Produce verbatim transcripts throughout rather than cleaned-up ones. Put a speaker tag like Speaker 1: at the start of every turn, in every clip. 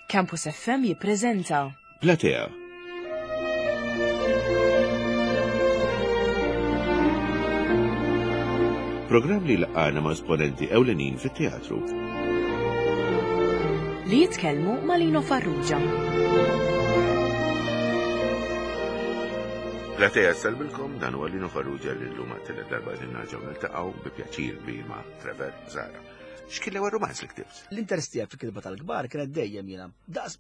Speaker 1: Campus F M jippreżenta
Speaker 2: Platea. Programm li laqana ma' esponenti ewlenin fit-teatru.
Speaker 1: Li jitkellmu ma' Lino Farrugia.
Speaker 2: Platea salbilkom, dan huwa Lino Farrugia li llum għat-tielet darba qegħdin nerġgħu niltaqgħu bi pjaċir kbir ma' Trevor Zahra. X'kien l-ewwel romanz li ktibt?
Speaker 3: L-interess tiegħek fil-kitba tal-kbar kienet dejjem jiena. Daqs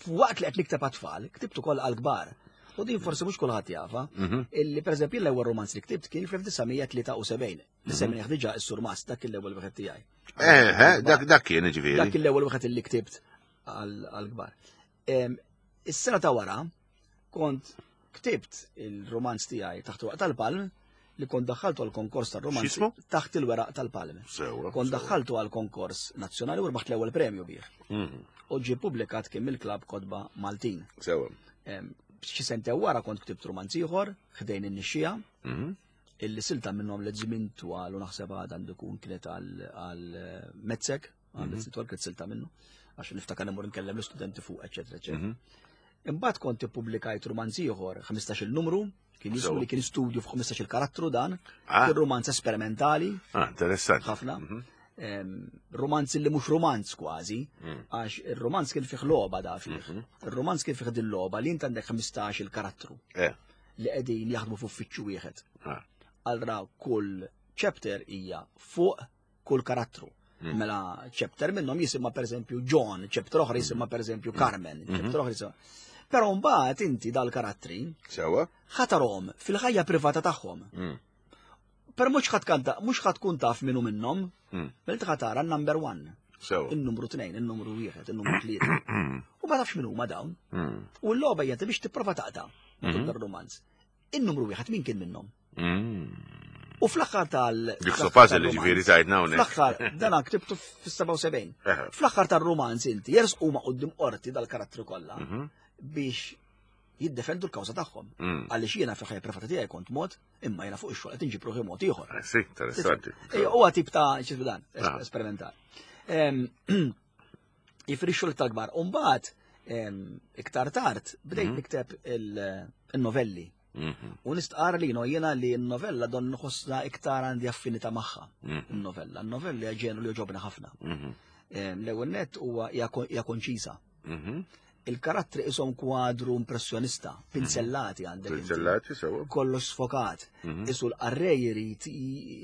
Speaker 3: waqt li qed nikteb għat-tfal, ktibt ukoll għall-kbar. U din forsi mhux kulħadd jafha,
Speaker 2: Mhm.
Speaker 3: illi pereżempju l-ewwel romanz li ktibt kien fl-elf disa' mija tlieta u sebgħin. Li semmejnih diġà, is-Surmast, dak kien l-ewwel wieħed tiegħi.
Speaker 2: Eh, eh, dak dak kien ġifieri.
Speaker 3: Dak kien l-ewwel wieħed illi ktibt għall-kbar. Em, Is-sena ta' wara kont ktibt il-romanz tiegħi Taħt il-Weraq tal-Palm, li kont daħħaltu għal konkors tal-romanz.
Speaker 2: X'ismu?
Speaker 3: Taħt il-Weraq tal-Palm.
Speaker 2: Sewwa.
Speaker 3: Kont
Speaker 2: sewwa.
Speaker 3: daħħaltu għal konkors nazzjonali u rbaħt l-ewwel premju bih.
Speaker 2: Mhm.
Speaker 3: U ġie publikat kien mill-Klabb Kotba Maltin.
Speaker 2: Sewwa.
Speaker 3: Em, Xi sente wara kont ktibt romanz ieħor, Ħdejn in-Nixxija,
Speaker 2: Mhm.
Speaker 3: illi silta minnhom li żmien twal u naħseb għad għandu jkun kienet għal għal Metzek, għal
Speaker 2: Mhm.
Speaker 3: żmien twal kienet silta minnu, għax niftakar immur nkellem l-istudenti fuq, eċetera, eċetera.
Speaker 2: Mhm.
Speaker 3: Imbagħad kont ippubblikajt romanz ieħor, ħmistax-il numru, kien jismu
Speaker 2: Sewa.
Speaker 3: li kien studju fuq ħmistax-il karattru dan,
Speaker 2: Ah.
Speaker 3: kien romanz esperimentali
Speaker 2: Ah, interessanti.
Speaker 3: ħafna.
Speaker 2: Mhm.
Speaker 3: Em, Romanz li mhux romanz kważi,
Speaker 2: Mm.
Speaker 3: għax ir-romanz kien fih logħba da fih.
Speaker 2: Mhm.
Speaker 3: Ir-romanz kien fih din logħba li int għandek ħmistax-il karattru
Speaker 2: Eh.
Speaker 3: li qegħdin jaħdmu f'uffiċċju wieħed.
Speaker 2: Ah.
Speaker 3: Allura kull chapter hija fuq kull karattru.
Speaker 2: Mm.
Speaker 3: Mela chapter minnhom jisimha pereżempju John, chapter oħra jisimha pereżempju Carmen,
Speaker 2: Mhm.
Speaker 3: chapter oħra jisimha. Però mbagħad inti dal-karattri
Speaker 2: Sewwa.
Speaker 3: ħa tarahom fil-ħajja privata tagħhom.
Speaker 2: Mm.
Speaker 3: Per mhux ħadd kanta, mhux ħadd tkun taf minnu minnhom,
Speaker 2: Mm.
Speaker 3: mela ħa tara n-number one,
Speaker 2: Sewwa.
Speaker 3: in-numru tnejn, in-numru wieħed, in-numru tlieta. U ma tafx min huma dawn.
Speaker 2: Mm.
Speaker 3: U l-logħba hija biex tipprova taqta' matul
Speaker 2: Mhm.
Speaker 3: dar-romanz. In-numru wieħed min kien minnhom?
Speaker 2: Mm.
Speaker 3: U fl-aħħar tal-
Speaker 2: Dik
Speaker 3: fl-aħħar
Speaker 2: puzzle li
Speaker 3: tal-romanz-
Speaker 2: ġifieri tajtna hawnhekk.
Speaker 3: Fl-aħħar, dan ktibtu fis-sebgħa u sebgħin.
Speaker 2: Eħe.
Speaker 3: Fl-aħħar tar-romanz inti jersqu ma' quddiem qorti dal-karattri kollha
Speaker 2: Mhm.
Speaker 3: biex jiddefendu l-kawża tagħhom.
Speaker 2: Mm.
Speaker 3: Għaliex jiena fil-ħajja privata tiegħi kont mod, imma jiena fuq ix-xogħol qed inġib ruħi mod ieħor.
Speaker 2: Eh, Sì, interessanti.
Speaker 3: Ejja, huwa tip ta' x'ismu dan, es-
Speaker 2: Ah.
Speaker 3: esperimentali. Em, Jifri xogħol tal-kbar. U mbagħad em, iktar tard bdejt
Speaker 2: Mhm.
Speaker 3: nikteb il- il-novelli.
Speaker 2: Mhm.
Speaker 3: U nistqar li no jiena li n-novella don nħossna iktar għandi affinità magħha.
Speaker 2: Mhm.
Speaker 3: Il-novella. Il-novella hija ġenru li jogħġobni ħafna.
Speaker 2: Mhm.
Speaker 3: Em, L-ewwel nett huwa hija kon- hija konċisa.
Speaker 2: Mhm.
Speaker 3: Il-karattri ishom kwadru impressjonista, pinzellati għandek inti.
Speaker 2: Pinzellati, sewwa.
Speaker 3: Kollox sfokat.
Speaker 2: Mhm.
Speaker 3: Isu l-qarrej jrid,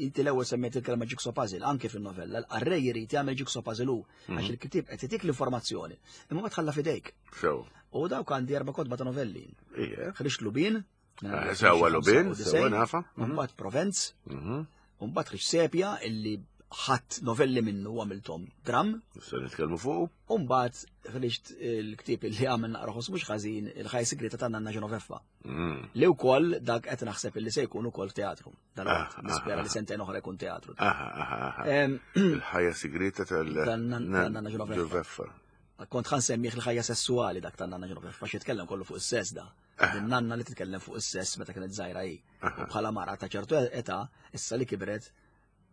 Speaker 3: inti l-ewwel semmejt il-kelma jigsaw puzzle, anke fin-novella, l-qarrej jrid jagħmel jigsaw puzzle hu, għax il-kitib qed itik l-informazzjoni, imma ma tħalla f'idejk.
Speaker 2: Sewwa.
Speaker 3: U dawk għandi erba' kotba ta' novelli.
Speaker 2: Ija.
Speaker 3: Ħriġt Lubin,
Speaker 2: Eh, Sewwa Lubin, sewwa nafa.
Speaker 3: u mbagħad Provenz,
Speaker 2: Mhm.
Speaker 3: u mbagħad ħriġt Sepja, illi ħadd novelli minnu u għamilthom dram,
Speaker 2: Se nitkellmu fuq.
Speaker 3: u mbagħad ħriġt il-ktieb illi għamel naqra ħoss mhux ħażin, Il-Ħajja Sigrita ta' Nanna Ġenoveffa.
Speaker 2: Mm.
Speaker 3: Li wkoll dak qed naħseb illi se jkun ukoll teatru. Dan
Speaker 2: Ah,
Speaker 3: nispera
Speaker 2: ah,
Speaker 3: li sentejn oħra jkun teatru.
Speaker 2: Aha, aha, aha.
Speaker 3: Em,
Speaker 2: Il-ħajja segreta tal-
Speaker 3: Tan-Nanna Ġenoveffa.
Speaker 2: Ġenoveffa.
Speaker 3: Kont ħa nsemmih Il-Ħajja Sessuali dak tan-Nanna Ġenoveffa, għax jitkellem kollu fuq is-sess da. Din nanna li titkellem fuq is-sess meta kienet żgħira hi. U bħala mara ta' ċertu età, issa li kibret,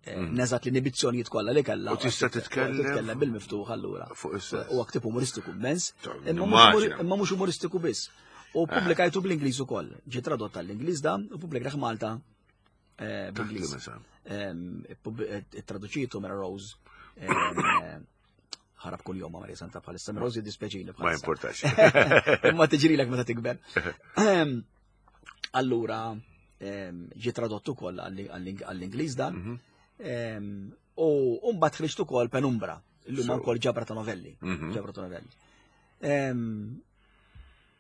Speaker 3: eh, neżat l-inibizzjonijiet kollha li kellha.
Speaker 2: U tista' titkellem
Speaker 3: Titkellem bil-miftuħ allura.
Speaker 2: fuq is-sess.
Speaker 3: Huwa ktieb umoristiku immens,
Speaker 2: Ta'
Speaker 3: imma mhux umori-
Speaker 2: nimmaġina.
Speaker 3: imma mhux umoristiku biss. U pubblikajtu bl-Ingliż ukoll. Ġie tradott tal-Ingliż da u pubblikajt Malta eh, bl-Ingliż.
Speaker 2: Taħt li
Speaker 3: Em, pub- eh, Traduċitu Mary Rose. em, eh, Ħarab kull jum ma' Maria Santa bħalissa. Mary Rose jiddispjaċini
Speaker 2: Ma
Speaker 3: bħalissa.
Speaker 2: importax.
Speaker 3: Imma tiġrilek meta tikber. Em, Allura, em, ġie tradott ukoll għall-Ingliż dan.
Speaker 2: Mhm.
Speaker 3: Em, U mbagħad ħriġt ukoll Penumbra, illum
Speaker 2: So.
Speaker 3: wkoll ġabra ta' novelli.
Speaker 2: Mhm.
Speaker 3: Ġabra ta' novelli. Em,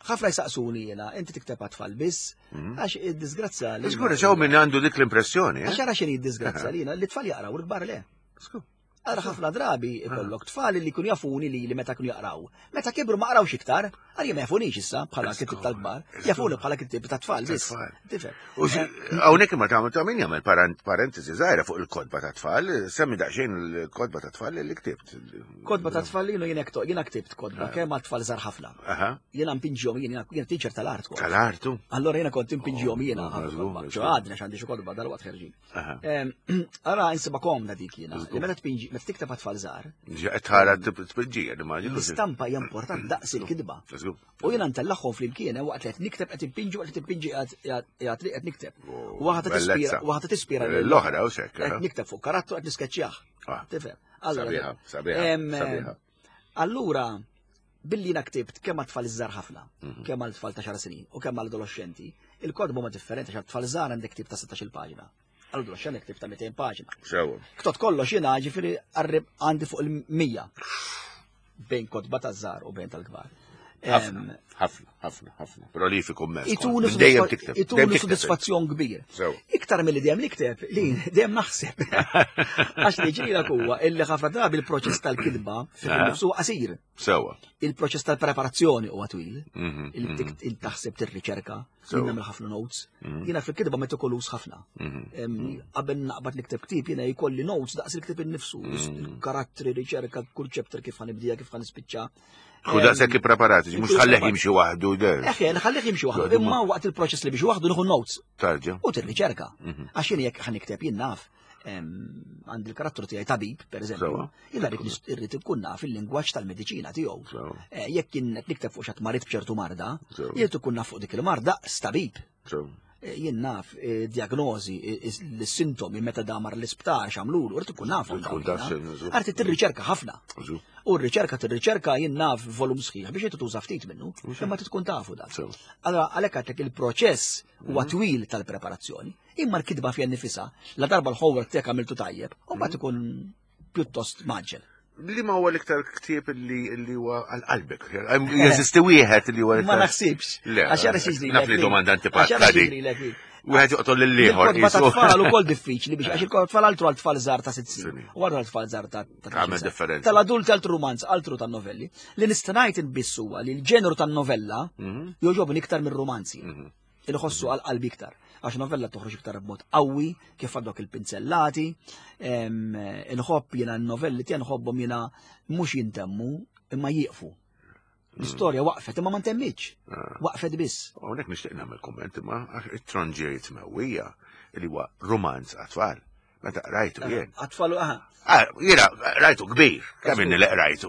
Speaker 3: Ħafna jsaqsuni jiena, inti tikteb għat-tfal biss, għax id-disgrazzja li.
Speaker 2: Żgur, ġew minn għandu dik l-impressjoni,
Speaker 3: Għax
Speaker 2: eh?
Speaker 3: ara x'inhi d-disgrazzja li jiena li tfal jaqraw u l-kbar le.
Speaker 2: Skur.
Speaker 3: Ara ħafna drabi ikollok tfal li jkunu jafuni li li meta kienu jaqraw. Meta kibru ma qrawx iktar, għalija ma jafunix issa bħala kittib tal-kbar, jafuni bħala kittib tat-tfal biss.
Speaker 2: Tat-tfal.
Speaker 3: Tifhem.
Speaker 2: U hawnhekk imma tagħmel ta' min jagħmel parent- parentesi żgħira fuq il-kotba ta' tfal, semmi daqsxejn il-kotba ta' tfal li ktibt.
Speaker 3: Kotba ta' tfal jiena jiena kto- jiena ktibt kotba kemm għal tfal żgħar ħafna.
Speaker 2: Aha.
Speaker 3: Jiena mpinġihom jiena jiena teacher tal-art kont.
Speaker 2: Tal-artu.
Speaker 3: Allora jiena kont impinġihom jiena
Speaker 2: Oh,
Speaker 3: ħafna
Speaker 2: żgur,
Speaker 3: kotba.
Speaker 2: żgur.
Speaker 3: Ġo għadna x'għandi xi kotba dal-waqt ħerġin.
Speaker 2: Aha.
Speaker 3: Em, Ara insiba komda dik jiena. Li meta tpinġi Meta tikteb għat-tfal żgħar,
Speaker 2: Tħara tpinġija, nimmaġinu.
Speaker 3: l-istampa hija importanti daqs il-kitba. U jiena ntellagħhom flimkien waqt li qed nikteb qed impinġi waqt li timpinġi qiegħed li qed nikteb.
Speaker 2: Oh,
Speaker 3: Waħda tispira, waħda tispira
Speaker 2: L-oħra u sekk.
Speaker 3: Qed nikteb fuq karattru qed niskeċċjah.
Speaker 2: Ah.
Speaker 3: Tifhem? Allura,
Speaker 2: Sabiħa, sabiħa,
Speaker 3: em,
Speaker 2: sabiħa.
Speaker 3: Allura, billi jiena ktibt kemm għat-tfal iż-żgħar ħafna,
Speaker 2: Mhm.
Speaker 3: kemm għal-tfal ta' xar snin u kemm għal-adolescenti, il-kotba huma differenti għax tfal żgħar għandek ktieb ta' sittax-il paġna. Għal-adolescenti ktieb ta' mitejn paġna.
Speaker 2: Sewa.
Speaker 3: Ktot kollox jiena ġifieri qarrib għandi fuq il-mija bejn kotba ta' żgħar u bejn tal-kbar.
Speaker 2: Ħafna,
Speaker 3: Em,
Speaker 2: ħafna, ħafna, ħafna. Prolifiku immens.
Speaker 3: Ituni
Speaker 2: Dejjem tikteb.
Speaker 3: ituni
Speaker 2: dejjem tikteb.
Speaker 3: soddisfazzjon kbir.
Speaker 2: Sewa.
Speaker 3: Iktar mill-li dejjem nikteb, li dejjem naħseb. Għax li ġrilek huwa illi ħafna drabi il-proċess tal-kitba fih
Speaker 2: Ah.
Speaker 3: nifsu qasir.
Speaker 2: Sewa.
Speaker 3: Il-proċess tal-preparazzjoni huwa twil.
Speaker 2: Mhm,
Speaker 3: Il-taħseb tir-riċerka,
Speaker 2: Sewa.
Speaker 3: jien nagħmel ħafna notes. Jiena fil-kitba metikolus ħafna.
Speaker 2: mhm.
Speaker 3: Em, Qabel naqbad nikteb ktieb jiena jkolli notes daqs il-ktieb innifsu, il-karattri, riċerka, kull chapter kif ħa nibdija, kif ħa nispiċċa.
Speaker 2: Ku daqshekk ippreparati, mhux tħallih jimxi waħdu.
Speaker 3: Eħe, nħallih jimxi waħdu, imma waqt il-proċess li biex waħdu nieħu notes
Speaker 2: Tarġa.
Speaker 3: u tirriċerka. Għax jien jekk ħa nikteb jien naf, em, għandi l-karattru tiegħi tabib, per eżempju,
Speaker 2: Sewa.
Speaker 3: jiena rrid nis- irrid ikun naf il-lingwaġġ tal-mediċina tiegħu.
Speaker 2: Sewa.
Speaker 3: Eh, Jekk jien qed nikteb fuq xi marid b'ċertu marda,
Speaker 2: Sewa.
Speaker 3: jien ikun naf fuq dik il-marda stabib.
Speaker 2: Sewa.
Speaker 3: Eh, Jien naf eh, diagnosi, eh, l-sintomi meta damar l-isptar x'għamlulu, rrid ikun naf.
Speaker 2: Tkun taf x'inhu.
Speaker 3: Arti tirriċerka ħafna.
Speaker 2: Żu.
Speaker 3: U r-riċerka tirriċerka jien naf volum sħiħ biex inti tuża ftit minnu, imma tkun tafu dak.
Speaker 2: Sewa.
Speaker 3: Allora għalhekk għedtlek il-proċess huwa twil tal-preparazzjoni, imma l-kitba fiha nifisha, la darba l-homework tiegħek għamiltu tajjeb, u mbagħad ikun pjuttost mgħaġġel.
Speaker 2: Li ma huwa l-iktar ktieb li li huwa għal qalbek. Jeżisti wieħed li huwa
Speaker 3: Ma
Speaker 2: l-iktar.
Speaker 3: naħsibx.
Speaker 2: Le,
Speaker 3: Għax jara xi
Speaker 2: naf li domanda antipatika di. Wieħed joqtol lill-ieħor.
Speaker 3: Il-kotba ta'
Speaker 2: qisu.
Speaker 3: tfal ukoll diffiċli biex għax il-kotba tfal altru għal tfal żgħar ta' sitt snin.
Speaker 2: Snin.
Speaker 3: U għal tfal żgħar ta' ta'
Speaker 2: Tagħmel
Speaker 3: tletin sena.
Speaker 2: differenza.
Speaker 3: Tal-adulti altru romanz, altru tan-novelli. Li nista' ngħid inbiss huwa li l-ġeneru tan-novella
Speaker 2: Mhm.
Speaker 3: jogħġobni iktar mir-romanzi. Il-ħossu għal qalbi iktar. Għax novella toħroġ iktar b'mod qawwi, kif għandok il-pinzellati, em, inħobb jiena n-novelli tiegħi nħobbhom jiena mhux jintemmu imma jieqfu. L-istorja waqfet imma ma ntemmitx.
Speaker 2: Ah.
Speaker 3: Waqfet biss.
Speaker 2: Hawnhekk nixtieq nagħmel kumment imma it-tronġier mewwija li huwa romanz għat-tfal. Meta qrajtu jien.
Speaker 3: Għat-tfal, aha.
Speaker 2: Ah, Jiena rajtu kbir, kemm inni li rajtu.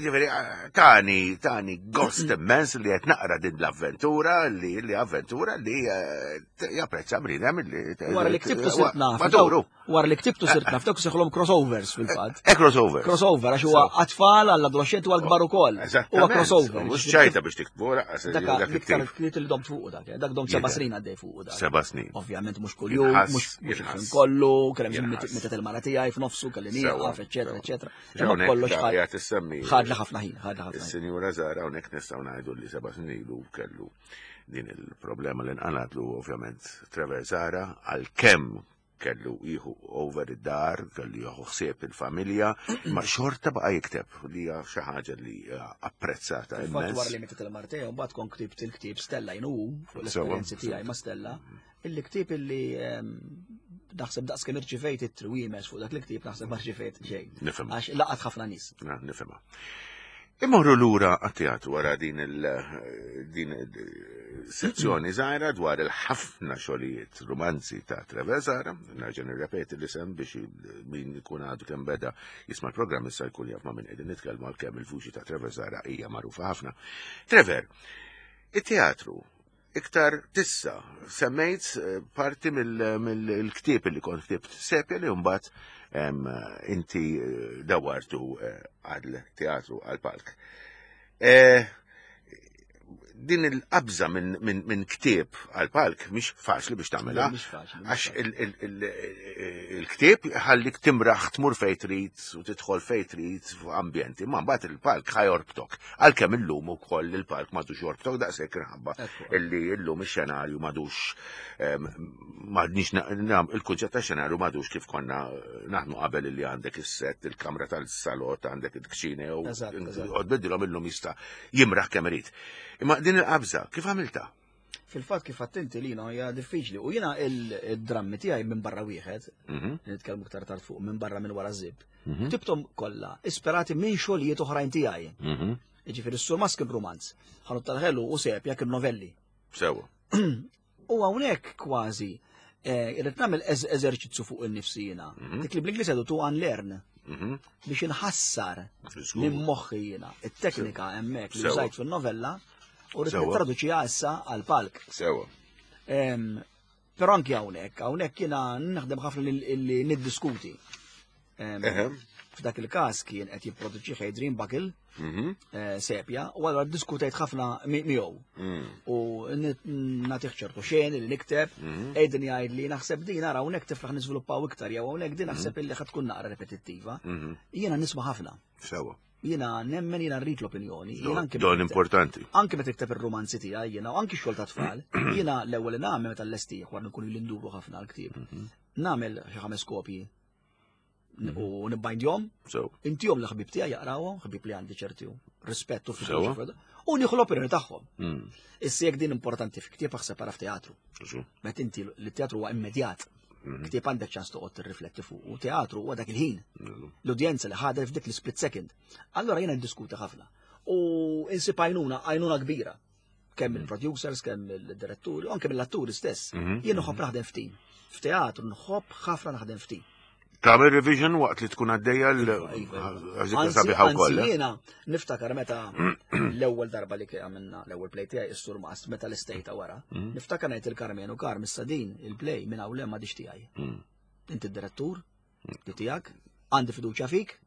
Speaker 2: Ġifieri, ah, tani, tani gost immens li qed naqra din l-avventura, li li avventura li eh, japprezza bniedem li.
Speaker 3: Wara li ktibtu sirt naf.
Speaker 2: Maduru.
Speaker 3: Wara li ktibtu sirt naf, dawk seħlhom crossovers fil-fatt.
Speaker 2: E crossover.
Speaker 3: Crossover, għax huwa għat-tfal għall-adolescenti u għall-kbar ukoll. Huwa crossover.
Speaker 2: Mhux ċajta biex tiktbu, lanqas
Speaker 3: Dak
Speaker 2: dak
Speaker 3: l-iktar
Speaker 2: it-tip.
Speaker 3: ktieb li domt fuq dak, dak domt seba'
Speaker 2: Jidher.
Speaker 3: snin għaddej fuq dak.
Speaker 2: Seba' snin.
Speaker 3: Ovvjament mhux kuljum,
Speaker 2: Jinħass,
Speaker 3: mhux mhux
Speaker 2: jinħass.
Speaker 3: il-ħin kollu, kellem
Speaker 2: Jinħass.
Speaker 3: meta il-mara tiegħi f'nofsu kelli
Speaker 2: Sewa,
Speaker 3: nieqaf, eċetera,
Speaker 2: sewa.
Speaker 3: eċetera. Imma
Speaker 2: Hawnhekk
Speaker 3: kollox
Speaker 2: da
Speaker 3: ħad
Speaker 2: qiegħed issemmi.
Speaker 3: ħadli ħafna ħin, ħadli ħafna ħin.
Speaker 2: Is-Sinjura Zara hawnhekk nistgħu ngħidu li seba' snin ilu kellu din il-problema li nqalatlu ovvjament Trevor Zahra għalkemm kellu jieħu over id-dar, kellu jieħu ħsieb il-familja, ma xorta baqa' jikteb li hija xi ħaġa li hija apprezzata
Speaker 3: Fil-fatt wara
Speaker 2: immens.
Speaker 3: li mietet il-mara tiegħi, mbagħad kont ktibt il-ktieb Stella jien hu fuq
Speaker 2: Sewa,
Speaker 3: l-esperjenzi tiegħi ma' Stella, illi ktieb illi ehm, naħseb daqs kemm irċivejt it-triwiemes fuq dak il-ktieb naħseb ma rċivejt xejn.
Speaker 2: Nifhem.
Speaker 3: Għax laqat ħafna nies.
Speaker 2: Na, nifhimha. Immorru lura għat-teatru wara din il din il-sezzjoni żgħira dwar il-ħafna xogħlijiet romanzi ta' Trevor Zahra, nerġa' nirrepeti l-isem biex min ikun għadu kemm beda jisma' l-programm issa jkun jaf ma' min qegħdin nitkellmu għalkemm il-vuċi ta' Trevor Zahra hija magħrufa ħafna. Trevor, it-teatru iktar tissa semmejt eh, parti mill-ktieb li kont ktibt sepja li mbagħad em, inti eh, dawartu eh, għal teatru għal palk. Eh, Din il-qabża minn min, min ktieb għal palk mhix faċli biex tagħmilha.
Speaker 3: Mhix faċli, mhix
Speaker 2: Għax
Speaker 3: faċli.
Speaker 2: il- il- il- il-ktieb ħallik timraħ tmur fejn trid u tidħol fejn trid f'ambjenti, ma mbagħad il-palk ħa jorbtok. Għalkemm illum ukoll il-palk m'għadux jorbtok daqshekk inħabba
Speaker 3: Ekku.
Speaker 2: illi illum ix-xenarju m'għadux em, m'għadniex na- nam- il-kunċett ta' xenarju m'għadux kif konna naħdmu qabel illi għandek is-set, il-kamra tal-salott, għandek il-kċina u
Speaker 3: Eżatt, eżatt.
Speaker 2: bidilhom illum jista' jimraħ kemm irid. Imma din il-qabża kif għamilta?
Speaker 3: Fil-fatt kif attenti li hija diffiċli. U jiena il-drammi tiegħi minn barra wieħed,
Speaker 2: Mhm,
Speaker 3: nitkellmu iktar tard fuq minn barra minn wara żib.
Speaker 2: mhm,
Speaker 3: Ktibthom kollha ispirati minn xogħlijiet oħrajn tiegħi.
Speaker 2: mhm.
Speaker 3: Jiġifieri s-Surmast kien romanz, ħanut tal-ħelu u sepja kien novelli.
Speaker 2: Sewa.
Speaker 3: U hawnhekk kważi eh, irrid nagħmel eż- eżerċizzju fuq il-nifsi jiena.
Speaker 2: Mhm.
Speaker 3: Dik li bl-Ingliż jgħidu to unlearn.
Speaker 2: Mhm.
Speaker 3: Biex inħassar
Speaker 2: Żgur.
Speaker 3: minn moħħi jiena it-teknika hemmhekk li
Speaker 2: Sewa.
Speaker 3: użajt fin-novella u rrid
Speaker 2: Sewa.
Speaker 3: nittraduċiha issa għall-palk.
Speaker 2: Sewa.
Speaker 3: Em, Però anki hawnhekk, hawnhekk jiena naħdem ħafna li li niddiskuti. Em,
Speaker 2: Eħe.
Speaker 3: F'dak il-każ kien qed jipproduċi Adrian Buckle,
Speaker 2: Mhm.
Speaker 3: eh, sepja, u allura ddiskutejt ħafna mi- miegħu.
Speaker 2: Mm.
Speaker 3: U nagħtih ċertu xeni li nikteb, Aiden jgħid li naħseb din ara hawnhekk tiflaħ niżviluppaw iktar jew hawnhekk din naħseb illi ħad tkun naqra repetittiva.
Speaker 2: Mhm.
Speaker 3: Jiena nisma' ħafna.
Speaker 2: Sewa.
Speaker 3: Jiena nemmen jiena rrid l-opinjoni. Jiena anke
Speaker 2: Don
Speaker 3: meta-
Speaker 2: importanti.
Speaker 3: Anke meta tikteb ir-romanzi tiegħi jiena u anke x-xogħol ta' tfal, jiena l-ewwel li nagħmel meta llestih wara nkunu li nduru ħafna l-ktieb. Nagħmel xi ħames kopji u nibbajndjhom,
Speaker 2: Sewa.
Speaker 3: intihom l-ħbib tiegħi jaqrawhom, ħbib li għandi ċerti rispett u
Speaker 2: Sewa.
Speaker 3: fiduċja u nieħu l-opinjoni tagħhom.
Speaker 2: Mm.
Speaker 3: Issa jekk din importanti fi ktieb aħseb ara f'teatru.
Speaker 2: Żgur.
Speaker 3: Meta inti li teatru huwa immedjat. Ktieb għandek ċans toqgħod tirrifletti fuq u teatru huwa dak il-ħin. L-udjenza li ħadet f'dik l-split second. Allora jiena ndiskuti ħafna. U insib għajnuna, għajnuna kbira. Kemm il-producers, kemm il-diretturi, u anke mill-atturi stess. Jien nħobb naħdem f'tim. F'teatru nħobb ħafna naħdem f'tim.
Speaker 2: Tagħmel revision waqt li tkun għaddejja l
Speaker 3: Iva, iva.
Speaker 2: għażikka
Speaker 3: Anzi,
Speaker 2: sabiħa wkoll.
Speaker 3: anzi
Speaker 2: eh?
Speaker 3: jiena niftakar meta l-ewwel darba li għamilna l-ewwel play tiegħi is-Sur Mast meta l-istejta wara.
Speaker 2: Mm.
Speaker 3: Niftakar ngħid il-Karmenu Karm issa din il-play minn hawn ma tiegħi.
Speaker 2: Mm.
Speaker 3: Inti d-direttur li tiegħek, għandi fiduċja fik,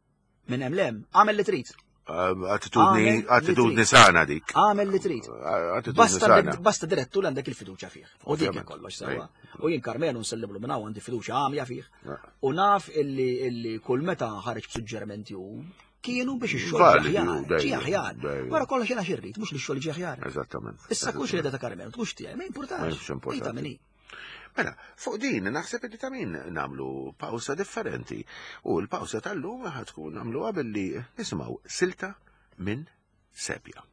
Speaker 3: minn hemm lem, għamel li trid.
Speaker 2: Attitudni
Speaker 3: Għamel li
Speaker 2: attitudni
Speaker 3: trid.
Speaker 2: sana dik.
Speaker 3: Għamel li trid.
Speaker 2: Attitudni
Speaker 3: Basta,
Speaker 2: sana.
Speaker 3: basta direttur li għandek il-fiduċja fih. U dik
Speaker 2: Ovvjament.
Speaker 3: kollox sewa. U jien Karmenu nselliblu minn hawn għandi fiduċja għamja fih.
Speaker 2: Ja.
Speaker 3: U naf illi illi kull meta ħareġ b'suġġerimenti u kienu biex ix-xogħol
Speaker 2: Validi,
Speaker 3: ġie aħjar,
Speaker 2: dejjem,
Speaker 3: ġie aħjar.
Speaker 2: dejjem.
Speaker 3: Wara kollox jiena xirrid, mhux li x-xogħol ġie aħjar.
Speaker 2: Eżattament.
Speaker 3: Issa kux li ta' Karmenu, tkunx tiegħi, ma
Speaker 2: Ma
Speaker 3: importax.
Speaker 2: jimx importanti.
Speaker 3: Ejta minni.
Speaker 2: Mela, fuq din naħseb li ta' min namlu pawsa differenti. U l-pawsa tal-lum ħad tkun nagħmluha billi nisimgħu silta minn Sepja.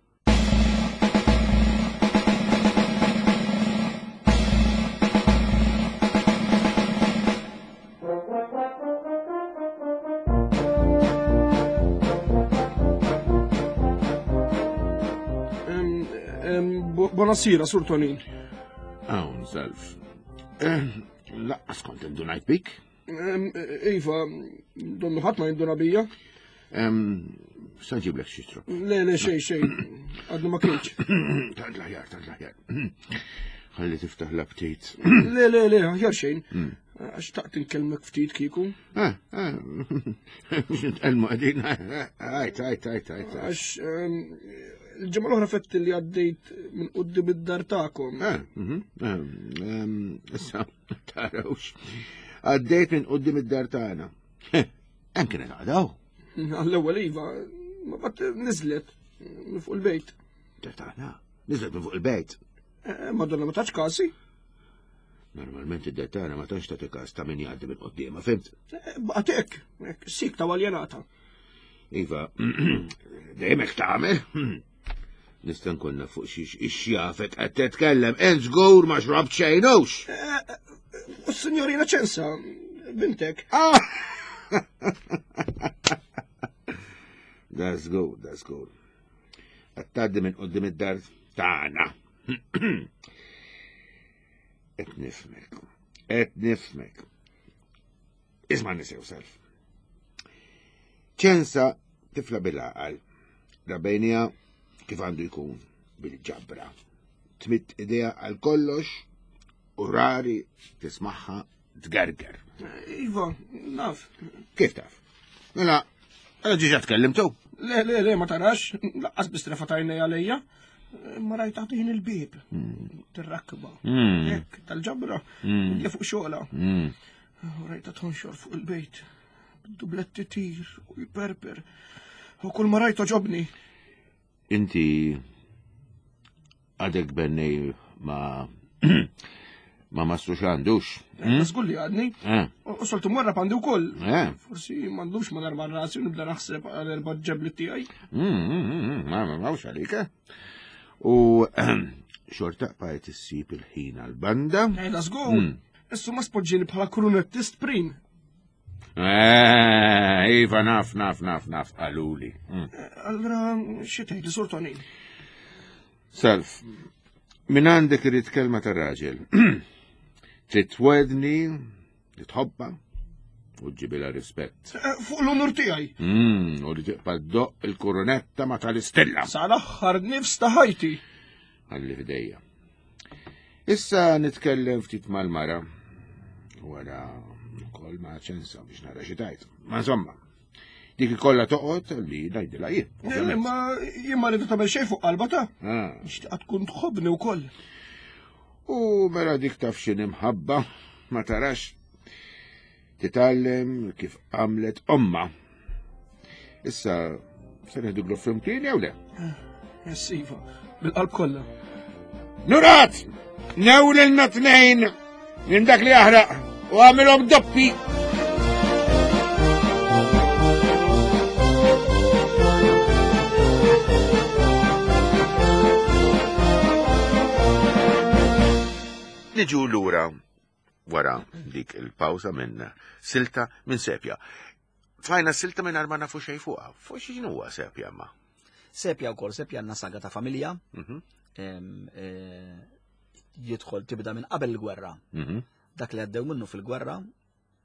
Speaker 4: Em, em, bu- Buonasera, Sur Tonin.
Speaker 2: Hawn self. Laqqas kont indunajt bik.
Speaker 4: Em, Iva, donnu ħadd ma jinduna bija.
Speaker 2: Em, Sa ġiblek xi xtrop.
Speaker 4: Le, le, xej, xej, għadnu ma kienx.
Speaker 2: Tant l-aħjar, tant l-aħjar. Ħalli tiftaħ l-aptit.
Speaker 4: Le, le, le, aħjar xejn. Għax taqt inkellmek ftit kieku.
Speaker 2: Eh, eh, mux nitkellmu qegħdin. Għajt, għajt, għajt, għajt.
Speaker 4: Għax em, il-ġimgħa l-oħra fett li għaddejt minn qudiem id-dar tagħkom.
Speaker 2: Eh, mhm, eh, em, Issa, tarawx. Għaddejt minn qoddim id-dar tagħna. Hemm kienet għadaw.
Speaker 4: Għall-ewwel iva, ma bat niżlet minn fuq il-bejt.
Speaker 2: Dar tagħna. Niżlet minn fuq il-bejt.
Speaker 4: Eh, Madonna ma tax kasi.
Speaker 2: Normalment id-dar tagħna ma tantx tagħti każ ta' min jgħaddi minn qoddiemha, fimt?
Speaker 4: Eh, Baqgħet hekk, hekk, sik ta' waljenata.
Speaker 2: Iva, dejjem hekk tagħmel. Nista' nkun naf fuq xiex ixjafek qed titkellem, int żgur ma xrabt xejnux.
Speaker 4: U s-signorina ċensa, bintek.
Speaker 2: Ah! That's good, that's good. Qed tgħaddi minn qudiem id-dar tagħna. Qed nifhmek. Qed nifhmek. Isma' nisew self. Ċensa tifla bil-għaqal. Rabejnija kif għandu jkun bil-ġabra. Tmitt idea għal kollox u rari tismaħħa tgerger.
Speaker 4: Iva, naf.
Speaker 2: Kif taf? Mela, għala ġiġa tkellimtu.
Speaker 4: Le, le, le, ma tarax, laqqas bistrefa tajna għalija. Ma rajt taħtin il-bib, tirrakba. Hekk, tal-ġabra, mm. fuq xola. U rajta tonxor fuq il-bejt. Dubletti tir u jiperper. U kull ma rajt oġobni.
Speaker 2: Inti għadek bennej ma ma mastru xandux.
Speaker 4: Żgur li għadni.
Speaker 2: Eh,
Speaker 4: U soltu morra għandi wkoll.
Speaker 2: eh.
Speaker 4: Forsi m'għandux ma narma rasi u nibda naħseb għal erba' ġebli tiegħi.
Speaker 2: Mm, mm, mm, Ma ma mawx għalik, eh? U xorta bqajt issib il-ħin għal-banda.
Speaker 4: Ejda żgur. Issu ma spoġġini bħala krunettist prim.
Speaker 2: Eh, Iva, naf, naf, naf, naf, għaluli. Mm.
Speaker 4: Allora, xi tgħid Sur Tonin?
Speaker 2: Self, minn għandek irrid kelma ta' raġel. Trid twedni, li tħobba, U ġibila rispett.
Speaker 4: Eh, fuq l-onur tiegħi.
Speaker 2: Mm, u li tibqa' ddoq il-kurunetta ma tal-istilla.
Speaker 4: Sal-aħħar nifs ta' ħajti.
Speaker 2: Għalli fidejja. Issa nitkellem ftit mal-mara. Wara ukoll ma' ċensa biex nara xi tajt. Ma insomma, dik ikollha toqgħod li ngħidilha jien.
Speaker 4: Eh,
Speaker 2: ovvjament.
Speaker 4: Ma jien ma rridu tagħmel xejn fuq qalba ta'.
Speaker 2: Ah.
Speaker 4: Nixtieqha tkun tħobbni wkoll.
Speaker 2: U mela dik taf x'inhi mħabba, ma tarax titgħallem kif għamlet omma. Issa se neħdu glof flimkien jew le?
Speaker 4: Yes, iva, bil-qalb kollha.
Speaker 2: Nurat! Newlilna tnejn minn dak li jaħraq u għamilhom doppi. Niġu lura wara dik il-pawza minn silta minn sepja. Tfajna silta minn ma nafu xejn fuqha. Fuq x'inhu huwa sepja ma?
Speaker 3: Sepja wkoll, sepja għandna saga ta' familja,
Speaker 2: Mhm,
Speaker 3: em, eh, jidħol tibda minn qabel il-gwerra.
Speaker 2: mhm,
Speaker 3: Dak li għaddew minnu fil-gwerra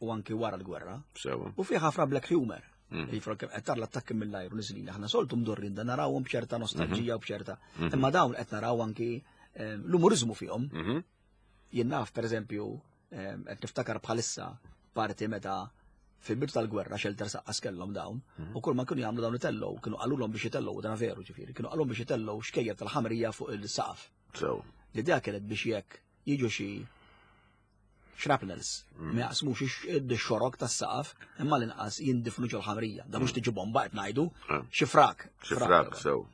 Speaker 3: u anki wara l-gwerra.
Speaker 2: Sewa.
Speaker 3: U fih ħafna black humor.
Speaker 2: Mm.
Speaker 3: Jifra kemm qed tara l-attakki mill-ajru niżlin. Aħna soltu mdorrin da narawhom b'ċerta nostalġija u b'ċerta. Imma dawn qed naraw anki em, l-umorizmu fihom.
Speaker 2: Mhm,
Speaker 3: Jien naf pereżempju em, qed niftakar bħalissa parti meta fil-bidu tal-gwerra xelter saqqas kellhom dawn u kull ma kienu jagħmlu dawn itellgħu kienu qalulhom biex itellgħu dan veru ġifieri, kienu qalulhom biex itellgħu xkejjer tal-ħamrija fuq il-saqaf.
Speaker 2: Sewa.
Speaker 3: L-idea kienet biex jekk jiġu xi shrapnels ma jaqsmux ix-xorok tas-saqaf imma l-inqas jindifnu ġol-ħamrija. Da mhux tiġi bomba qed ngħidu,
Speaker 2: Ah.
Speaker 3: xi frak.
Speaker 2: Xi frak, sew.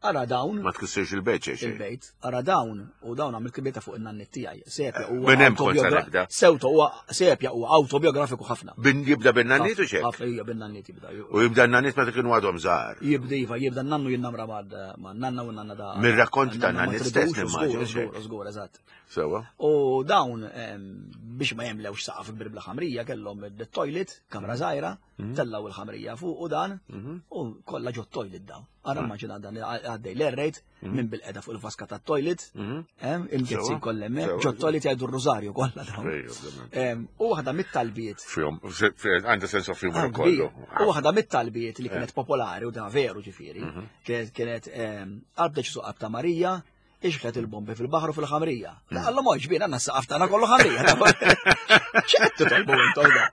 Speaker 3: Ara dawn
Speaker 2: Ma tkissirx il-bejt xejn.
Speaker 3: il-bejt, ara dawn u dawn għamil kibeta fuq in-nannit tiegħi. Sepja huwa
Speaker 2: Minn hemm kont se
Speaker 3: autobiogra-
Speaker 2: nibda.
Speaker 3: Sewto huwa sepja huwa autobiografiku ħafna.
Speaker 2: Bin jibda bin-nannit u xek.
Speaker 3: Ħafna hija bin-nannit jibda.
Speaker 2: U jibda n-nannit meta kienu għadhom żgħar.
Speaker 3: Jibda iva, jibda n-nannu jinnamra ma' ma' nanna u nanna da.
Speaker 2: Mir-rakkont ta'
Speaker 3: nanna ma
Speaker 2: nannit stess
Speaker 3: tridux,
Speaker 2: nimmaġina,
Speaker 3: Żgur,
Speaker 2: xek.
Speaker 3: żgur, żgur, eżatt.
Speaker 2: Sewa.
Speaker 3: U dawn em, biex ma jemlewx saqaf kbir bla ħamrija kellhom il-toilet, kamra żgħira, tellaw il-ħamrija fuq u dan, u kollha ġo toilet dawn. Ara immaġina dan għaddej l-errejt minn bil-qeda fuq il-vaska tat-toilet, em, il-gezzi
Speaker 2: Sewa,
Speaker 3: kollha hemmhekk,
Speaker 2: sewa.
Speaker 3: ġo toilet jgħidu r-rużarju kollha dawn.
Speaker 2: Ejja, ovvjament.
Speaker 3: Em, U waħda mit-talbiet
Speaker 2: Fihom, għandha sens of humor
Speaker 3: Ah, kbir.
Speaker 2: kollu.
Speaker 3: U waħda mit-talbiet li kienet popolari u dan veru ġifieri, kienet kienet em, qalb deċisu qalb ta' Marija, ixħet il-bombi fil-baħru fil-ħamrija. La Alla mhux bin għandna s-saqaf tagħna kollu ħamrija. X'qed titolbu intom da?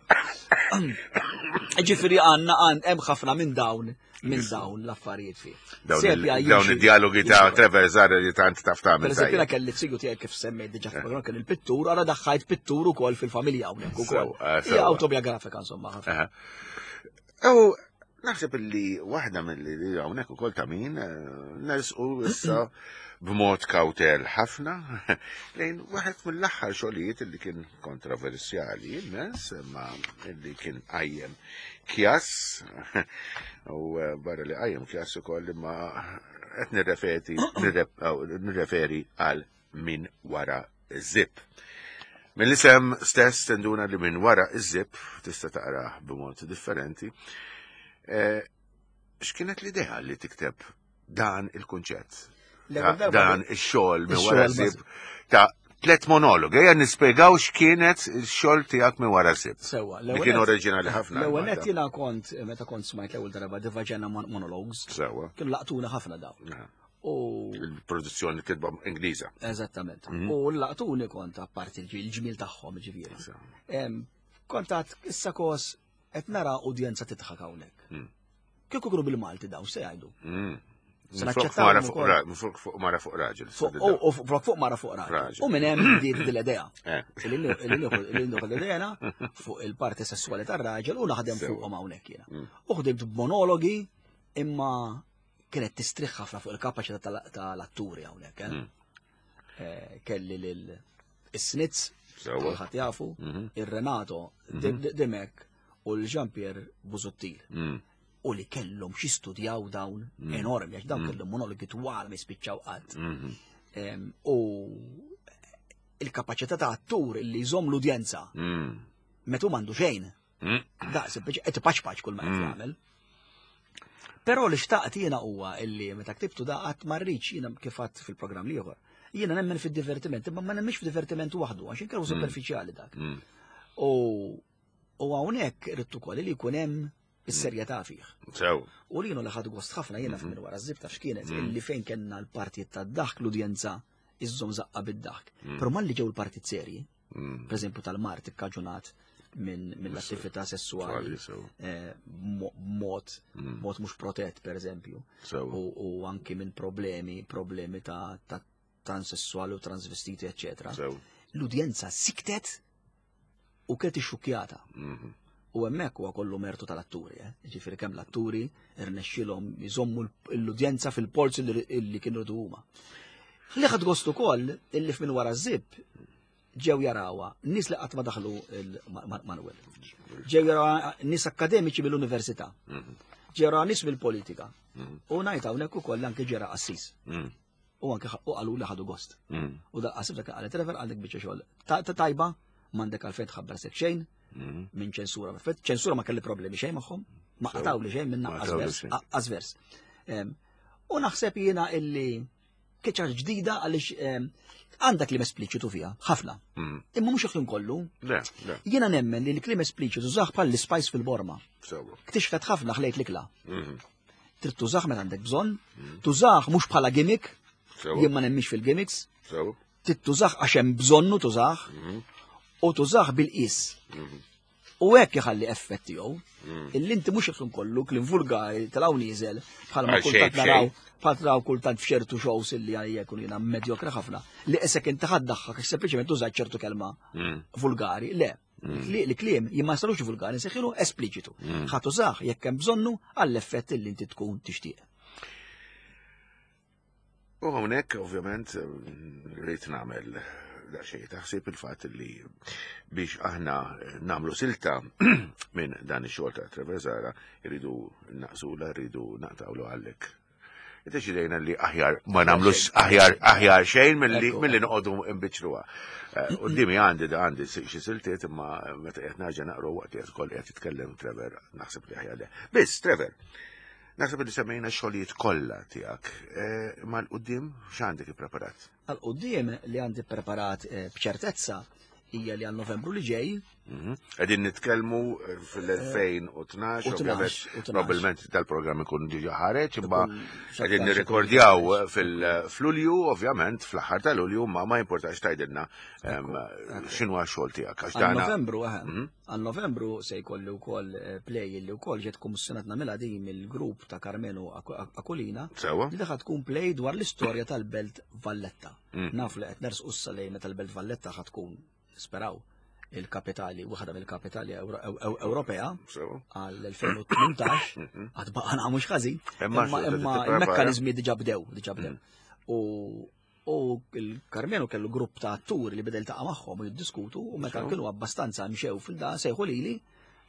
Speaker 3: Ġifieri għandna għand hemm ħafna minn dawn minn dawn l-affarijiet fih.
Speaker 2: Dawn il-
Speaker 3: Sepja
Speaker 2: dawn
Speaker 3: jimxi-
Speaker 2: id-dialogi ta'
Speaker 3: jimxi-
Speaker 2: Trevor Zara li tant taf tagħmel.
Speaker 3: Per eżempju, jiena
Speaker 2: tajjeb.
Speaker 3: kelli t-sigu tiegħek kif semmejt diġà fil-programm kien il-pittur, ara daħħajt pittur ukoll fil-familja hawnhekk ukoll.
Speaker 2: Sew, eh,
Speaker 3: Hija
Speaker 2: sew.
Speaker 3: autobiografika insomma ħafna.
Speaker 2: Aha. U naħseb li waħda mill li hawnhekk ukoll ta' min eh, nersqu issa b'mod kawtel ħafna lejn waħed mill-aħħar xogħlijiet li kien kontroversjali immens imma li kien qajjem kjas u eh, barra li qajjem kjas ukoll imma qed nirreferi nirref- aw, nirreferi għal min wara zip. Mill-isem stess tenduna li minn wara iż-zip tista' taqrah b'mod differenti. Eh, X'kienet l-idea li tikteb dan il-kunċett?
Speaker 3: L-ewwel darba
Speaker 2: Dan ix-xogħol minn wara
Speaker 3: Ix-xogħol
Speaker 2: zip ta' tlet monolog. Ejja nispjegaw x'kienet il-xogħol tiegħek minn wara zip.
Speaker 3: Sewa,
Speaker 2: Li kien oriġinali ħafna.
Speaker 3: L-ewwel nett jiena kont meta kont smajt l-ewwel darba The Vagina Mon- Monologues,
Speaker 2: Sewa.
Speaker 3: kienu laqtuna ħafna dawn.
Speaker 2: Aha.
Speaker 3: U
Speaker 2: Il-produzzjoni kitba Ingliża.
Speaker 3: eżattament.
Speaker 2: Mhm.
Speaker 3: U laqtuni kont apparti l-ġmiel tagħhom ġifieri.
Speaker 2: Sewa.
Speaker 3: Em, Kont għad issa kos qed nara udjenza tidħak hawnhekk.
Speaker 2: Mm.
Speaker 3: Kieku kienu bil-Malti dawn se jgħidu.
Speaker 2: Mm.
Speaker 3: Se
Speaker 2: Minn Fuq
Speaker 3: naċċettawhom
Speaker 2: mara fuq
Speaker 3: ukoll.
Speaker 2: ra- minn fuq fuq mara fuq raġel.
Speaker 3: Fuq u- u fuq fuq mara fuq raġel.
Speaker 2: Raġel.
Speaker 3: U minn hemm bdiet din l-idea.
Speaker 2: Eh.
Speaker 3: Illi nieħu l-idea fuq il-parti sessuali tar-raġel u naħdem
Speaker 2: Sewa.
Speaker 3: fuqhom hawnhekk jiena.
Speaker 2: Mm.
Speaker 3: U ħdimt b'monologi imma kienet tistrieħ ħafna fuq il-kapaċità tal- tal-atturi hawnhekk. eh.
Speaker 2: Mm.
Speaker 3: Eh, Kelli lil is-Snitz,
Speaker 2: Sewa.
Speaker 3: kulħadd jafu,
Speaker 2: Mhm.
Speaker 3: ir-Renato Dimek u l-Jean-Pierre Busuttil.
Speaker 2: Mm.
Speaker 3: U li kellhom xi studjaw dawn enormi, għax dawn kellhom monologi twal ma jispiċċaw qatt.
Speaker 2: Mhm.
Speaker 3: Em, U il-kapaċità ta' attur li jżomm l-udjenza
Speaker 2: Mm.
Speaker 3: meta hu m'għandu xejn.
Speaker 2: Mm.
Speaker 3: Da, sempliċi qed ipaċpaċ kull ma qed jagħmel. Però li xtaqt jiena huwa illi meta ktibtu da qatt ma rridx jiena kif għadt fil-programm l-ieħor. Jiena nemmen fid-divertiment, imma ma nemmix fid-divertiment waħdu għax inkunu superfiċjali dak.
Speaker 2: Mm.
Speaker 3: U U hawnhekk irid ukoll li jkun hemm is-serjetà fih.
Speaker 2: Sew.
Speaker 3: U li li ħadu gost ħafna jiena minn wara ż-żib taf x'kienet illi fejn kellna l-partijiet tad-daħk l-udjenza iżżomm żaqqa bid-daħk. Però malli ġew il-partit serji, per eżempju tal-mard ikkaġunat minn mill-attività sessuali
Speaker 2: Sew.
Speaker 3: eh, mo- mod mod mhux protett per eżempju
Speaker 2: Sew.
Speaker 3: u, u anki minn problemi problemi ta', ta transessuali u transvestiti eccetera.
Speaker 2: Sew.
Speaker 3: L-udjenza siktet u kienet ixxukkjata.
Speaker 2: Mhm.
Speaker 3: U hemmhekk huwa kollu mertu tal-atturi, eh? Ġifieri kemm l-atturi irnexxilhom jżommu l-udjenza fil-polz illi illi kienu rridu huma. Li ħadt gost ukoll illi f'min wara ż-żib ġew jarawha nies li qatt ma daħlu il-Manuel. Ġew jarawha nies akademiċi mill-università. Ġew jarawha nies mill-politika. U ngħid hawnhekk ukoll anke ġera qassis.
Speaker 2: Mm.
Speaker 3: U anke ħa- u qalu li ħadu gost.
Speaker 2: Mm.
Speaker 3: U dal-qassis dak qalet Trevor għandek biċċa xogħol. Ta' ta' tajba, m'għandek għalfejn tħabbar sek xejn,
Speaker 2: Mm.
Speaker 3: minn ċensura. Perfett, ċensura ma kelli problemi xejn magħhom, ma
Speaker 2: Sew.
Speaker 3: qatawli xejn minn
Speaker 2: Ma
Speaker 3: naqqas
Speaker 2: qatawli
Speaker 3: vers,
Speaker 2: xejn.
Speaker 3: aqqas vers. Em, U naħseb jiena illi keċar ġdida għaliex em, għandek kliem espliċitu fiha, ħafna.
Speaker 2: Mm.
Speaker 3: Imma mhux il-kliem kollu.
Speaker 2: Le, le,
Speaker 3: Jiena nemmen li l-kliem espliċitu tużah bħal l-spice fil-borma.
Speaker 2: sew.
Speaker 3: Ktixfet ħafna ħlejt l-ikla.
Speaker 2: Mhm.
Speaker 3: Trid tużah meta għandek bżonn, tużah mhux bħala gimmick,
Speaker 2: Sew.
Speaker 3: jien ma nemmix fil-gimmicks,
Speaker 2: Sew.
Speaker 3: trid tużah għax hemm bżonnu tużah u tużah bil-qis. U hekk iħalli effett tiegħu. Illi inti mhux ikun kollu kliem vulgari tal-hawn nieżel bħalma
Speaker 2: Għal xejn
Speaker 3: kultant naraw
Speaker 2: b'xejn.
Speaker 3: bħal naraw kultant f'ċertu shows illi għalija jkun jiena medjokra ħafna li qisek inti ħaddaħħak għax sempliċement tużajt ċertu kelma vulgari. Le, li kliem jien ma sarux vulgari, nsejħilu espliċitu. Ħa tużah jekk hemm bżonnu għall-effett illi inti tkun tixtieq.
Speaker 2: U hawnhekk ovvjament rrid nagħmel daqsxejn taħsib il-fatt li biex aħna nagħmlu silta minn dan ix-xogħol ta' Trevor Zahra irridu naqsula, rridu naqtawlu għallek. Iddeċidejna li aħjar ma nagħmlux aħjar aħjar xejn milli
Speaker 3: Ekku.
Speaker 2: milli noqogħdu nbiċċruha. Eh, Qudiemi għandi da għandi xi siltiet imma meta qed nerġa' naqru waqt li qed ukoll qed jitkellem Trevor naħseb li aħjar le. Biss Trevor, naħseb li semmejna x-xogħlijiet kollha tiegħek. Eh, Ma l-qudiem x'għandek ippreparat?
Speaker 3: Għal quddiem li għandi preparat eh, b'ċertezza hija li għal Novembru li ġej
Speaker 2: Mhm. Qegħdin nitkellmu eh, fil-elfejn u tnax,
Speaker 3: U
Speaker 2: ovvjament,
Speaker 3: tnax, u tnax.
Speaker 2: probabbilment dal-programm ikun diġà ħareġ, imma
Speaker 3: Ikun
Speaker 2: qegħdin
Speaker 3: x'aktarx
Speaker 2: nirrekordjaw
Speaker 3: ikun
Speaker 2: fil-Lulju, ovvjament, fl-aħħar ta' Lulju, ma ma importax tgħidilna em, x'inhu x-xogħol tiegħek għax
Speaker 3: Għal
Speaker 2: dana
Speaker 3: Novembru, eħe. Għal Novembru se jkolli wkoll eh, play li wkoll ġiet kummissjonat nagħmilha din mill-grupp ta' Karmenu Aku- Aquilina
Speaker 2: Sewa?
Speaker 3: li ħa tkun play dwar l-istorja tal-Belt Valletta. Naf li qed nersqu issa lejn meta l-Belt Valletta ħa tkun nisperaw il-kapitali, waħda mill-kapitali Ewro- Ew- Ewropea
Speaker 2: Sewa.
Speaker 3: għal elfejn u tmintax, għad baqana mhux ħażin,
Speaker 2: Imma
Speaker 3: imma
Speaker 2: xorta
Speaker 3: imma
Speaker 2: tipprepara.
Speaker 3: il-mekkaniżmi diġà bdew, diġà bdew. U u il-Karmenu kellu grupp ta' atturi li beda jiltaqa' magħhom u jiddiskutu u meta
Speaker 2: Sew.
Speaker 3: kienu abbastanza mxew fil-da sejħu lili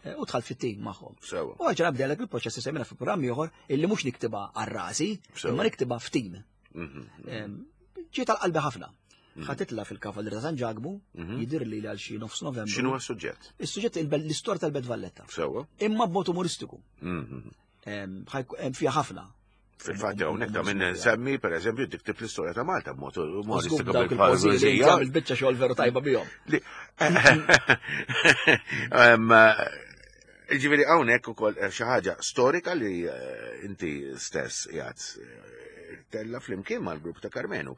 Speaker 3: eh, u dħalt fit-tim magħhom.
Speaker 2: Sewa.
Speaker 3: U għagġa bdelek il-proċess li semmejna fi programm ieħor illi mhux niktibha għal rasi,
Speaker 2: Sew.
Speaker 3: imma niktibha f'tim.
Speaker 2: Mhm.
Speaker 3: Em, Ġiet għal qalbi ħafna. Ħa titla' fil-Kavallieri ta' San Ġakbu, jidir li għal xi nofs Novembru.
Speaker 2: X'inhu s-suġġett?
Speaker 3: Is-suġġett il- l-istorja tal-Belt Valletta.
Speaker 2: Sewa.
Speaker 3: Imma b'mod umoristiku.
Speaker 2: Mhm.
Speaker 3: Em, ħajk- Hemm fiha ħafna.
Speaker 2: Fil-fatt hawnhekk ta' minn nsemmi pereżempju tiktib l-istorja ta' Malta b'mod
Speaker 3: Żgur
Speaker 2: umoristiku
Speaker 3: dawk il-poeżiji li
Speaker 2: bil-poeżija.
Speaker 3: jagħmel biċċa xogħol veru tajba bihom.
Speaker 2: Li- Em, Ġifieri hawnhekk ukoll eh, xi ħaġa storika li eh, inti stess qiegħed eh, tella flimkien mal-grupp ta' Karmenu.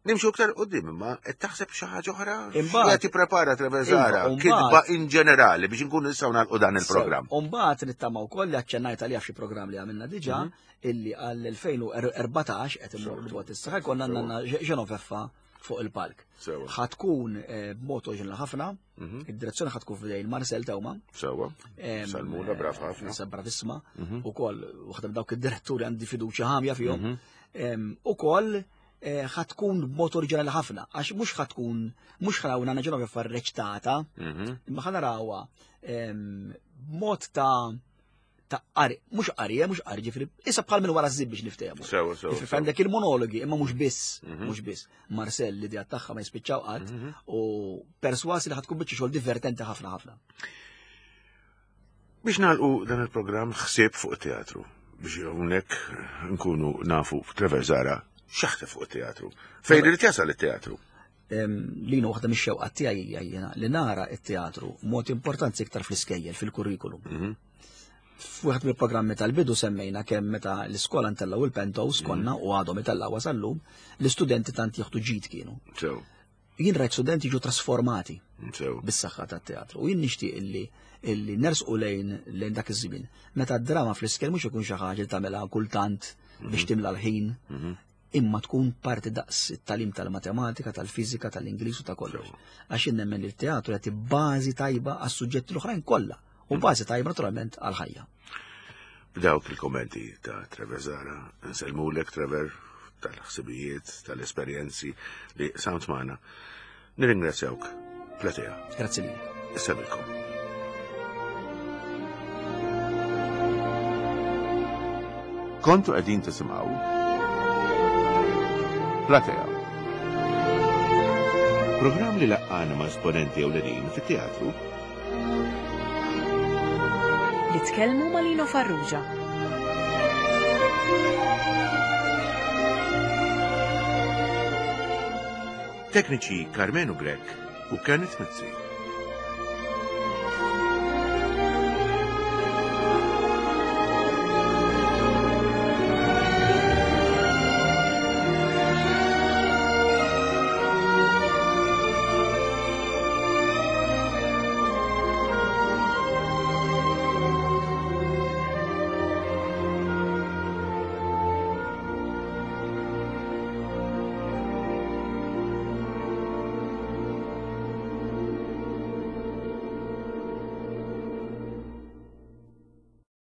Speaker 2: Nimxu iktar qudiem imma qed taħseb xi ħaġa oħra?
Speaker 3: Imbagħad-
Speaker 2: Qed tipprepara Trevor Zahra,
Speaker 3: Iva, u
Speaker 2: kitba
Speaker 3: mbagħad-
Speaker 2: in ġenerali biex inkunu nistgħu nagħlqu dan il-programm.
Speaker 3: U mbagħad nittama wkoll li aċċennajt għalija f'xi programm li għamilna diġà illi għall-elfejn u erbatax qed immorru dwar issa ħajkonna għandna Genoveffa fuq il-palk.
Speaker 2: Sewa.
Speaker 3: Ħa tkun eh, b'mod oriġinali ħafna, id-direzzjoni ħa tkun f'idejn Marcel Teuma.
Speaker 2: Sewa.
Speaker 3: Em,
Speaker 2: Salmuna brav ħafna.
Speaker 3: eh, Bravissima. U koll, waħda minn dawk id-diretturi għandi fiduċja ħamja fihom. Em, U koll eh, ħa tkun b'mod oriġinali ħafna, għax mhux ħa tkun, mhux ħa naraw Nanna Genoveffa reċtata, imma ħa narawha em, b'mod ta' ta' qari, mhux qari, eh, mhux qari, ġifieri, issa bħal minn wara ż biex niftehmu.
Speaker 2: Sewa, sewa.
Speaker 3: Ġifieri
Speaker 2: sewa.
Speaker 3: għandek il-monologi, imma mhux biss, mhux biss. Marcel l-idea tagħha ma jispiċċaw qatt u perswas li ħa tkun biċċa xogħol divertenti ħafna ħafna.
Speaker 2: Biex nagħlqu dan il-programm ħsieb fuq teatru biex hawnhekk nkunu nafu Trevor Zahra x'jaħseb fuq teatru. Fejn irid jasal it-teatru?
Speaker 3: Lino, waħda mix-xewqat tiegħi hija jiena li nara t-teatru mod importanti iktar fl-iskejjel, fil-kurrikulum.
Speaker 2: Mhm.
Speaker 3: F'wieħed mill-programmi tal-bidu semmejna kemm meta l-iskola ntellgħu il-pantos konna u għadhom itellgħu sal-lum, l-istudenti tant jieħdu ġid kienu.
Speaker 2: Sew,
Speaker 3: Jien rajt studenti jiġu trasformati
Speaker 2: sew.
Speaker 3: bis-saħħa tat-teatru. U jien nixtieq illi illi nersqu lejn lejn dak iż-żmien. Meta d-drama fl-iskejjel mhux ikun xi ħaġa li tagħmilha kultant biex timla l-ħin, imma tkun parti daqs it-tagħlim tal-matematika, tal-fiżika, tal-Ingliż u ta' kollox. Għax jien nemmen li t-teatru jagħti bażi tajba għas-suġġetti l-oħrajn kollha u bażi tajba naturalment għall-ħajja.
Speaker 2: B'dawk il-kommenti ta' Trevor Zahra, nsellmulek Trevor tal-ħsibijiet, tal-esperjenzi li qsamt magħna. Nirringrazzjawk, Platea.
Speaker 3: Grazzi lilek.
Speaker 2: Insellmilkom. Kontu qegħdin tisimgħu Platea. Programm li laqqana ma' esponenti ewlenin fit-teatru
Speaker 1: Li tkellmu ma' Lino Farrugia.
Speaker 2: Tekniċi Carmenu Grech u Kenneth Mizzi.